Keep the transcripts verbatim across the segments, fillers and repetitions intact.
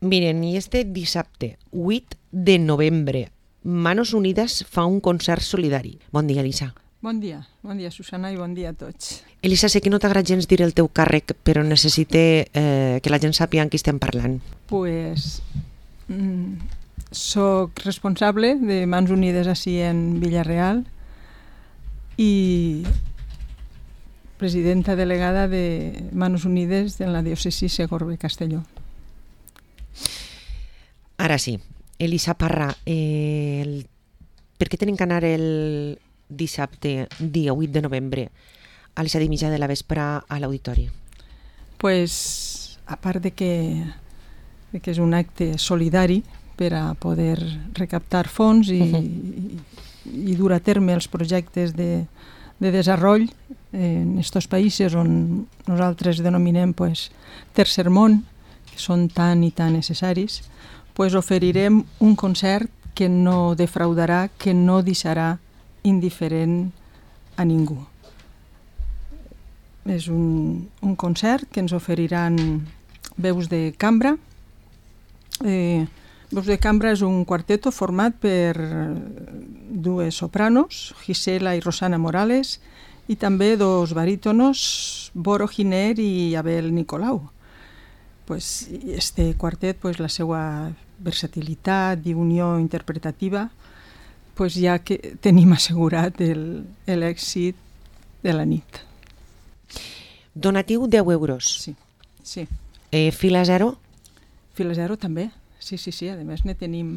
Miren, i este dissabte, vuit de novembre, Manos Unides fa un concert solidari. Bon dia, Elisa. Bon dia, bon dia, Susana, i bon dia a tots. Elisa, sé que no t'agrada gens dir el teu càrrec, però necessite eh, que la gent sàpiga en qui estem parlant. Pues, mm, soc responsable de Mans Unides així en Villarreal i presidenta delegada de Manos Unides en la diòcesi Segorbe-Castelló. Ara sí, Elisa Parra, eh, el... per què tenim que anar el dissabte, dia vuit de novembre, a les set i mitja de la vespre a l'auditori? Pues, a part de que, de que és un acte solidari per a poder recaptar fons i, uh-huh. i, i dur a terme els projectes de, de desenvolupament en aquests països on nosaltres denominem pues, tercer món, que són tan i tan necessaris, pues oferirem un concert que no defraudarà, que no deixarà indiferent a ningú. És un, un concert que ens oferiran veus de cambra. Eh, veus de cambra és un quarteto format per dues sopranos, Gisela i Rosana Morales, i també dos barítonos, Boro Giner i Abel Nicolau. Pues este quartet, pues la seva versatilitat i unió interpretativa, pues ja que tenim assegurat el, l'èxit de la nit. Donatiu deu euros. Sí, sí. Eh, fila zero? Fila zero també, sí, sí, sí, a més ne tenim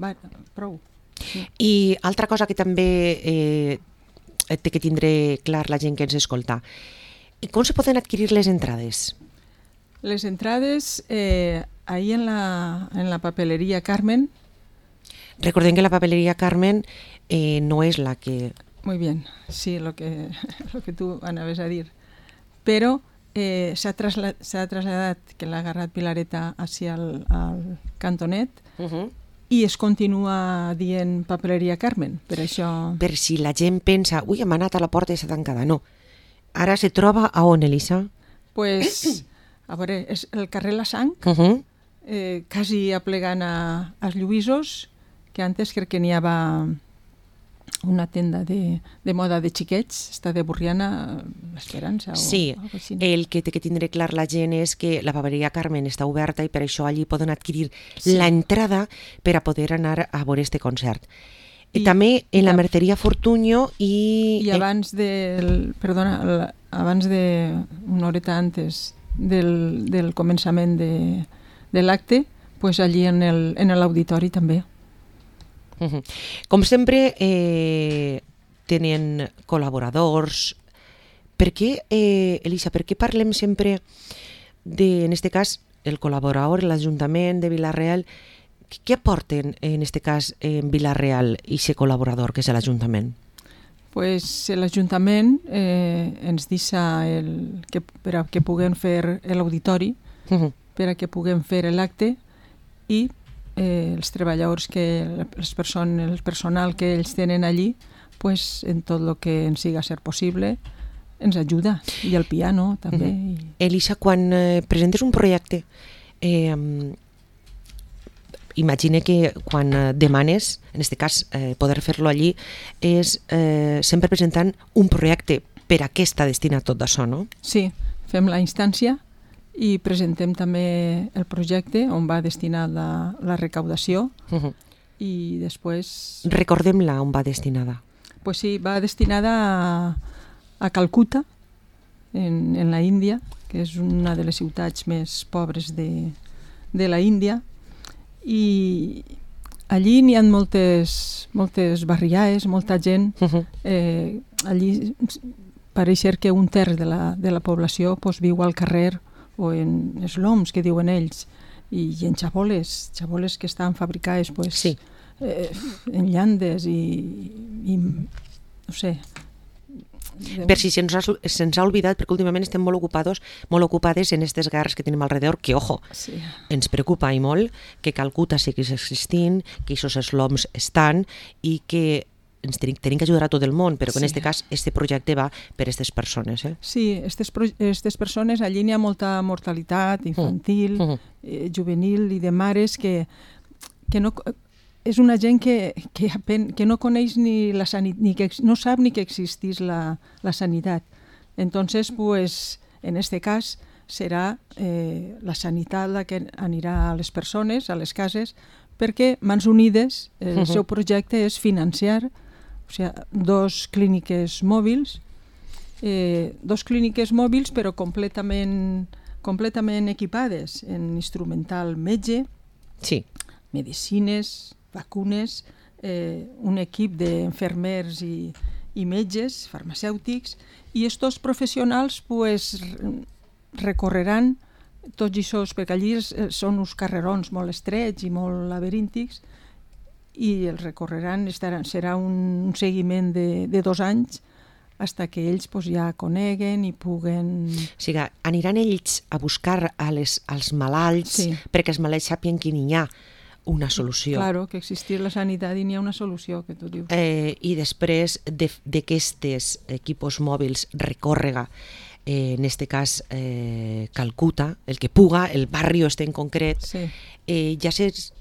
va, prou. Sí. I altra cosa que també eh, té que tindre clar la gent que ens escolta. I com se poden adquirir les entrades? Les entrades, eh, ahí en la, en la papelería Carmen. Recordem que la papelería Carmen eh, no és la que... Muy bien, sí, lo que, lo que tú anaves a dir. Però eh, s'ha trasla- s'ha traslladat, que l'ha agarrat Pilareta hacia al, al cantonet, Uh-huh. i es continua dient papelería Carmen, per això... Per si la gent pensa, ui, hem anat a la porta i s'ha tancada. No. Ara se troba a on, Elisa? Pues, a veure, és el carrer La Sang, Uh-huh. eh, quasi aplegant a, als Lluïsos, que antes crec que n'hi havia una tenda de, de moda de xiquets, està de Borriana, l'Esperança o Sí, algo així. el que té que tindre clar la gent és que la papereria Carmen està oberta i per això allí poden adquirir Sí. la entrada per a poder anar a veure este concert. I, I- també en i la tam- Merceria Fortunyo i... I abans del, perdona, el- abans de, una horeta antes del, del començament de, de l'acte, pues allí en el, en l'auditori també. Uh-huh. Com sempre, eh, tenen col·laboradors. Per què, eh, Elisa, per què parlem sempre de, en este cas, el col·laborador, l'Ajuntament de Vila-real? Què aporten, en este cas, en Vila-real i ser col·laborador, que és l'Ajuntament? Pues l'Ajuntament eh, ens deixa el, que, per a que puguem fer l'auditori, Uh-huh. per a que puguem fer l'acte i eh, els treballadors, que, les persones, el personal que ells tenen allí, pues, en tot el que ens siga ser possible, ens ajuda. I el piano també. Uh-huh. I... Elisa, quan eh, presentes un projecte, eh, imagine que quan eh, demanes, en aquest cas eh, poder fer-lo allí, és eh, sempre presentant un projecte per a què està destinat tot això, no? Sí, fem la instància i presentem també el projecte on va destinat la, la recaudació Uh-huh. i després... Recordem-la on va destinada. Pues sí, va destinada a, a Calcuta, en, en la Índia, que és una de les ciutats més pobres de, de la Índia, i allí n'hi ha moltes, moltes barriades, molta gent. Uh-huh. Eh, allí pareix ser que un terç de la, de la població pues, viu al carrer o en esloms, que diuen ells, i, i en xaboles, xaboles que estan fabricades pues, Sí. eh, en llandes i, i no sé. Per si se'ns ha, se'ns ha oblidat, perquè últimament estem molt ocupades, molt ocupades en aquestes guerres que tenim alrededor, que, ojo, Sí. ens preocupa i molt que Calcuta seguís existint, que aquests esloms estan i que ens tenim, tenim que ajudar a tot el món, però sí. En Sí. aquest cas, este projecte va per aquestes persones. Eh? Sí, aquestes persones, allí n'hi ha molta mortalitat infantil, Mm. eh, juvenil i de mares que, que no... És una gent que, que, apen, que no coneix ni la sanitat, ni que no sap ni que existís la, la sanitat. Entonces, pues, en este cas, serà eh, la sanitat la que anirà a les persones, a les cases, perquè Mans Unides, el Uh-huh. seu projecte és financiar, o sigui, dos clíniques mòbils, eh, dos clíniques mòbils però completament, completament equipades en instrumental metge, Sí. medicines, vacunes, eh, un equip d'infermers i, i metges, farmacèutics, i estos professionals pues, recorreran tots aquests, perquè allí són uns carrerons molt estrets i molt laberíntics, i els recorreran, estaran, serà un, un seguiment de, de dos anys hasta que ells pues, ja coneguen i puguen... O sigui, aniran ells a buscar a les, als malalts Sí. perquè els malalts sàpien que n'hi ha una solució. Claro, que existir la sanitat i n'hi ha una solució, que tu dius. Eh, I després d'aquestes equipos mòbils recòrrega, eh, en este cas eh, Calcuta, el que puga, el barri este en concret, Sí, eh, ja s'és...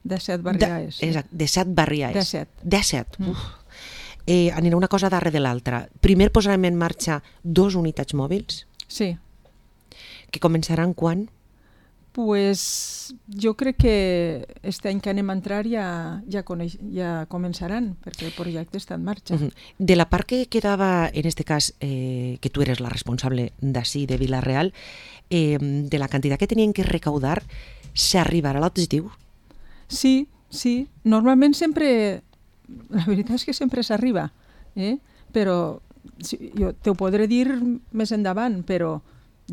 de set De, barriades. exacte, de set barriades. De set. De set. Mm. Uf. Eh, anirà una cosa darrere de l'altra. Primer posarem en marxa dos unitats mòbils, Sí, que començaran quan? pues jo crec que este any que anem a entrar ja, ja, coneix, ja començaran, perquè el projecte està en marxa. Uh -huh. De la part que quedava, en este cas, eh, que tu eres la responsable d'ací, de Vila-real, eh, de la quantitat que tenien que recaudar, s'arribarà a l'objectiu? Sí, sí, normalment sempre, la veritat és que sempre s'arriba, eh? Però sí, jo te ho podré dir més endavant, però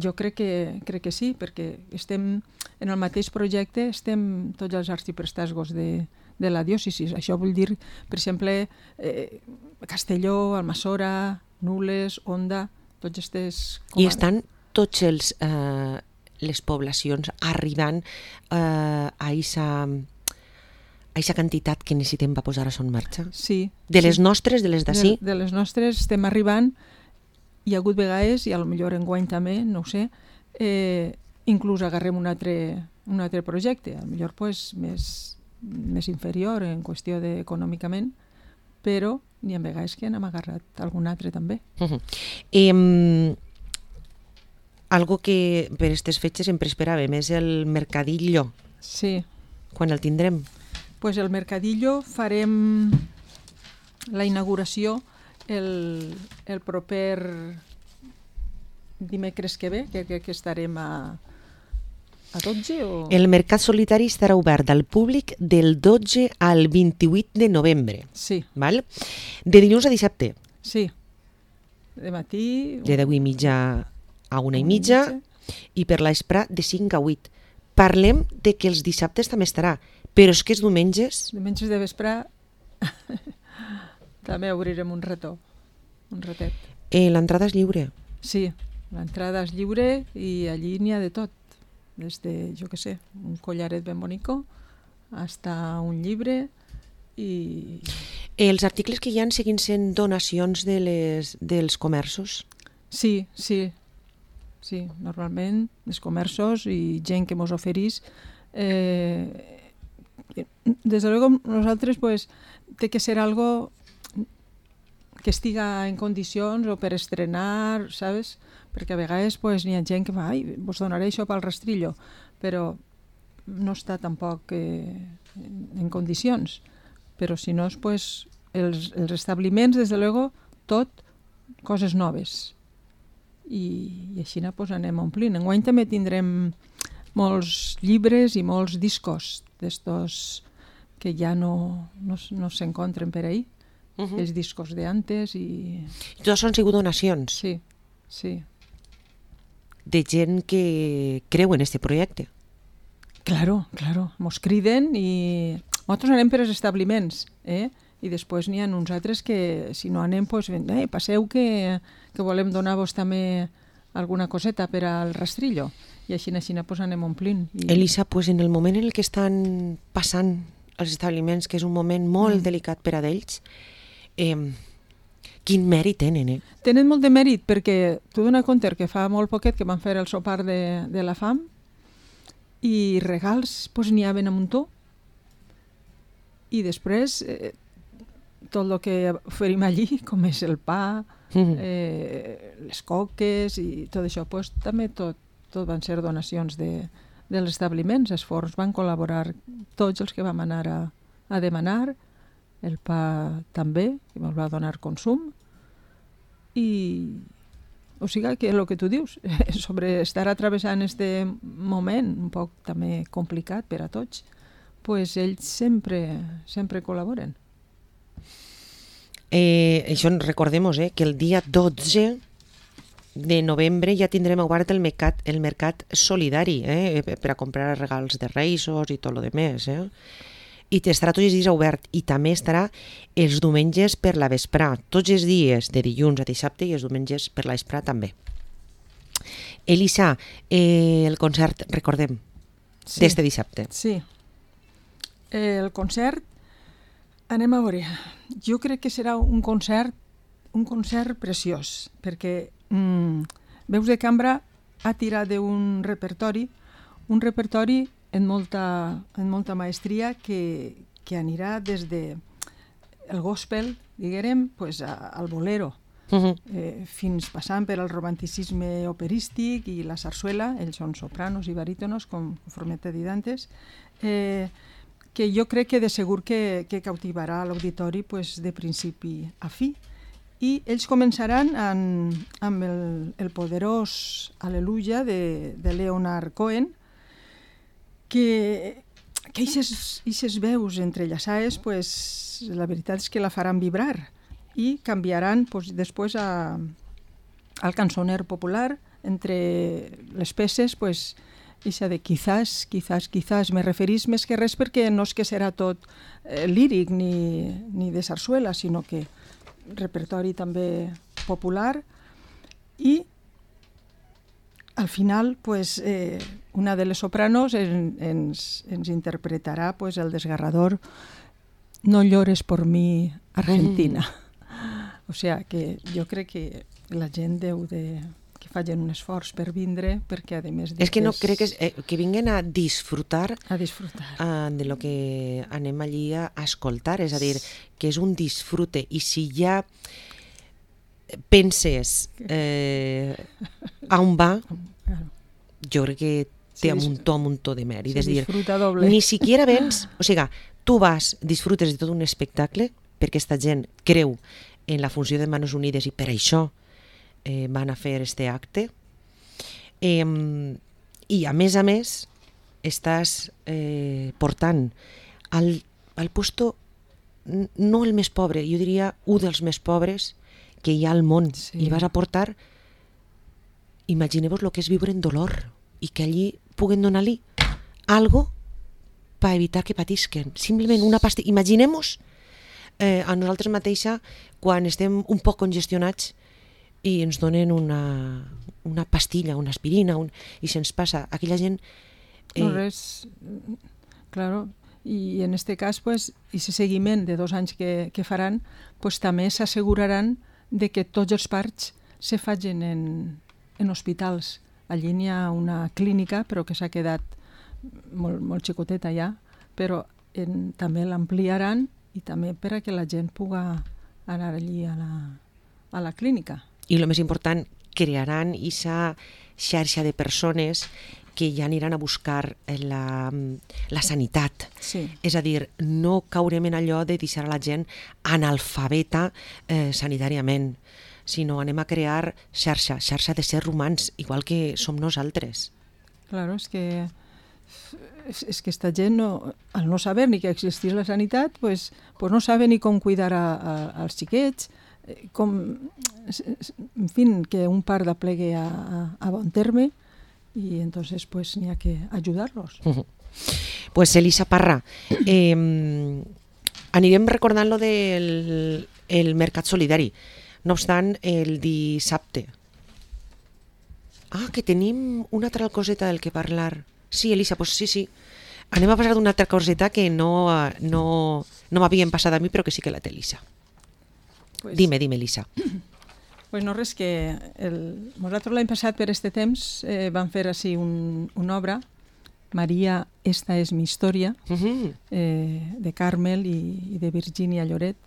jo crec que, crec que sí, perquè estem en el mateix projecte, estem tots els arxiprestasgos de, de la diòcesis. Això vull dir, per exemple, eh, Castelló, Almassora, Nules, Onda, tots aquestes... I estan tots els, eh, les poblacions arribant eh, a aquesta a aquesta quantitat que necessitem per posar això en marxa? Sí. De les sí. nostres, de les d'ací? De, de les nostres estem arribant. Hi ha hagut vegades, i a lo millor enguany també, no ho sé, eh, inclús agarrem un altre, un altre projecte, a lo millor pues, més, més inferior en qüestió de, econòmicament, però n'hi ha vegades que n'hem agarrat algun altre també. Uh -huh. eh, algo que per aquestes fetges sempre esperàvem és el mercadillo. Sí. Quan el tindrem? Pues el mercadillo farem la inauguració el, el proper dimecres que ve, que, que, que estarem a, a dotze o... El mercat solitari estarà obert al públic del dotze al vint-i-vuit de novembre. Sí, Val? De dilluns a dissabte, sí. De matí... de deu i mitja a una i mitja, i per l'espre de cinc a vuit. Parlem de que els dissabtes també estarà, però és que els diumenges... Diumenges de vespre també obrirem un rató, un ratet. Eh, L'entrada és lliure. Sí, l'entrada és lliure i allí n'hi ha de tot. Des de, jo què sé, un collaret ben bonico, hasta un llibre i... Els articles que hi ha seguint sent donacions de les, dels comerços? Sí, sí, sí, normalment els comerços i gent que mos oferís. Eh, des de luego nosaltres pues, té que ser algo que estiga en condicions o per estrenar, ¿sabes? Perquè a vegades pues, n'hi ha gent que va, ai, vos donaré això pel rastrillo, però no està tampoc eh, en condicions. Però si no, pues, els, els establiments, des de luego, tot coses noves. I, i així pues, anem omplint. Enguany també tindrem molts llibres i molts discos d'estos que ja no, no, no s'encontren per ahí. Uh -huh. Els discos de antes i... I tots han sigut donacions? Sí, sí. De gent que creu en este projecte? Claro, claro. Mos criden i nosaltres anem per als establiments, eh? I després n'hi ha uns altres que, si no anem, pues, eh, passeu que, que volem donar-vos també alguna coseta per al rastrillo. I així, així pues, anem omplint. I... Elisa, pues, en el moment en el que estan passant els establiments, que és un moment molt mm. delicat per a d'ells, Eh, quin mèrit tenen, eh? Tenen molt de mèrit perquè tu dona compte que fa molt poquet que van fer el sopar de, de la fam i regals pues, n'hi havia a muntó i després eh, tot el que oferim allí, com és el pa, mm-hmm. eh, les coques i tot això, pues, també tot, tot van ser donacions de, dels establiments. Els forns van col·laborar tots els que vam anar a, a demanar, el pa també, que ens va donar consum, i o sigui que el que tu dius sobre estar atravessant este moment un poc també complicat per a tots, pues ells sempre sempre col·laboren. Eh, això recordem-nos eh, que el dia dotze de novembre ja tindrem obert el mercat, el mercat solidari eh, per a comprar regals de Reis i tot el demés. Eh? I estarà tots els dies obert i també estarà els diumenges per la vesprà, tots els dies de dilluns a dissabte i els diumenges per la vesprà també. Elisa, eh, el concert, recordem, sí, d'este dissabte. Sí, el concert, anem a veure, jo crec que serà un concert, un concert preciós, perquè mm, Veus de Cambra ha tirat d'un repertori, un repertori en molta, en molta maestria que, que anirà des de el gospel, diguem, pues, a, al bolero, uh-huh. eh, fins passant per al romanticisme operístic i la sarsuela, ells són sopranos i barítonos, com conforme t'he dit antes, eh, que jo crec que de segur que, que cautivarà l'auditori pues, de principi a fi. I ells començaran en, amb el, el poderós Aleluia de, de Leonard Cohen, que que aquestes veus entrellaçades, pues, la veritat és que la faran vibrar i canviaran pues, després a, al cançoner popular entre les peces, pues, ixa de quizás, quizás, quizás, me referís més que res perquè no és que serà tot eh, líric ni, ni de sarsuela, sinó que repertori també popular i al final, pues, eh, una de les sopranos en, ens, ens interpretarà pues, el desgarrador No llores por mi, Argentina. Mm. O sea, que jo crec que la gent deu de... que facin un esforç per vindre, perquè a més... És que no crec que, eh, que vinguen a disfrutar, a disfrutar. Uh, de lo que anem allí a, a escoltar, és a dir, que és un disfrute, i si ja penses eh, a on va, jo crec que té sí, un muntó, un muntó de mèrit. Sí, és dir, doble. Ni siquiera vens, o sigui, tu vas, disfrutes de tot un espectacle, perquè aquesta gent creu en la funció de Manos Unides i per això eh, van a fer este acte. Eh, I a més a més, estàs eh, portant al, al puesto, no el més pobre, jo diria un dels més pobres que hi ha al món, sí. I vas a portar, imagineu-vos el que és viure en dolor i que allí puguen donar-li algo per evitar que patisquen. Simplement una pastilla. Imaginem-nos eh, a nosaltres mateixa quan estem un poc congestionats i ens donen una, una pastilla, una aspirina, un, i se'ns passa. Aquella gent... Eh... No res, claro. I en este cas, pues, ese seguiment de dos anys que, que faran, pues, també s'asseguraran de que tots els parts se facin en, en hospitals. Allí n'hi ha una clínica, però que s'ha quedat molt, molt xicoteta ja, però en, també l'ampliaran i també per a que la gent puga anar allí a la, a la clínica. I el més important, crearan aquesta xarxa de persones que ja aniran a buscar la, la sanitat. Sí. És a dir, no caurem en allò de deixar a la gent analfabeta eh, sanitàriament, sinó anem a crear xarxa, xarxa de ser humans, igual que som nosaltres. Claro, és que és, és que esta gent, no, al no saber ni que existís la sanitat, pues, pues no sabe ni com cuidar a, a, als xiquets, com, en fin, que un part d'aplegue a, a, a bon terme, y entonces pues n'hi ha que ayudarlos. Uh-huh. Pues Elisa Parra, eh, anirem recordant lo del el mercat solidari. No obstant, el dissabte. Ah, que tenim una altra coseta del que parlar. Sí, Elisa, pues sí, sí. Anem a passar d'una altra coseta que no, no, no m'havien passat a mi, però que sí que la té Elisa. Pues, Dime, dime, Elisa. Pues no res, que el... nosaltres l'any passat per este temps eh, vam fer així un, una obra, Maria, esta és mi història, Uh-huh. eh, de Carmel i, i de Virginia Lloret.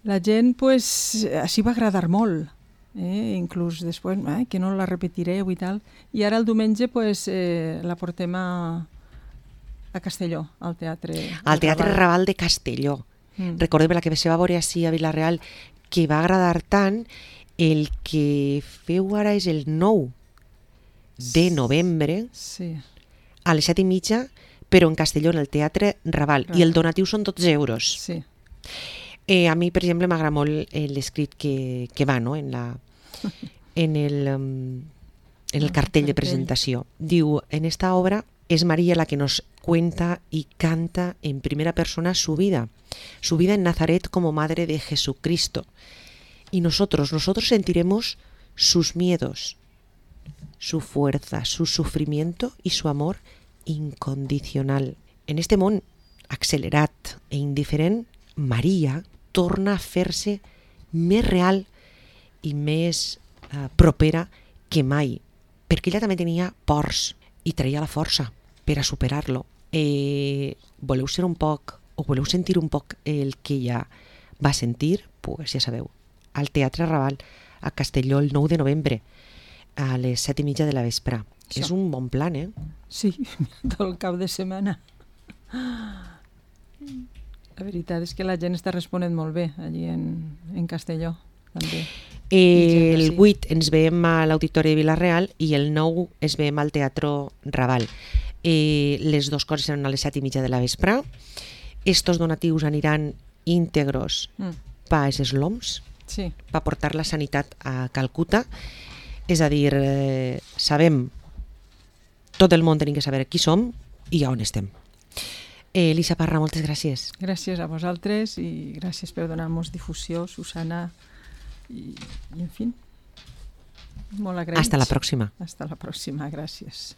La gent, pues, així va agradar molt, eh? Inclús després, eh, que no la repetireu i tal. I ara el diumenge, pues, eh, la portem a, a Castelló, al Teatre Al Teatre Raval. Raval de Castelló. Mm. Recordem la que se va veure així a Vila-real, que va agradar tant. El que feu ara és el nou de novembre, Sí, a les set i mitja, però en Castelló, en el Teatre Raval. Raval. I el donatiu són dotze euros. sí. Eh, a mi, per exemple, m'agrada molt eh, l'escrit que, que va, no?, en, la, en, el, um, en el cartell de presentació. Diu, en esta obra es María la que nos cuenta y canta en primera persona su vida, su vida en Nazaret como madre de Jesucristo. Y nosotros, nosotros sentiremos sus miedos, su fuerza, su sufrimiento y su amor incondicional. En este món accelerat e indiferent, Maria torna a fer-se més real i més eh, propera que mai, perquè ella també tenia pors i traia la força per a superar-lo. Eh, voleu ser un poc, o voleu sentir un poc el que ella va sentir? Pues ja sabeu, al Teatre Raval, a Castelló, el nou de novembre, a les set i mitja de la vespre. Això. És un bon plan, eh? Sí, tot el cap de setmana. La veritat és que la gent està responent molt bé allí en, en Castelló, també. Eh, el sí. vuit ens veiem a l'Auditori de Vila-real i el nou es veiem al Teatre Raval. Eh, les dues coses seran a les set i mitja de la vespre. Estos donatius aniran íntegros Mm, pa els esloms, sí, pa portar la sanitat a Calcuta. És a dir, eh, sabem, tot el món tenim que saber qui som i on estem. Eh, Elisa Parra, moltes gràcies. gràcies a vosaltres i gràcies per donar-nos difusió, Susana, i, i en fi, molt agraïts. Hasta la pròxima. Hasta la pròxima, gràcies.